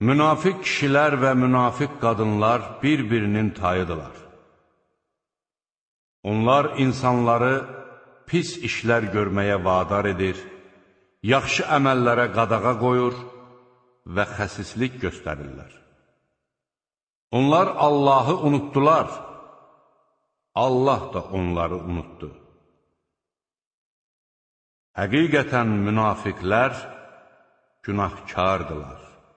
Münafiq kişilər və münafiq qadınlar bir-birinin tayıdırlar. Onlar insanları pis işlər görməyə vadar edir, yaxşı əməllərə qadağa qoyur və xəsislik göstərirlər. Onlar Allahı unutdular, Allah da onları unutdu. Həqiqətən münafiqlər günahkardılar.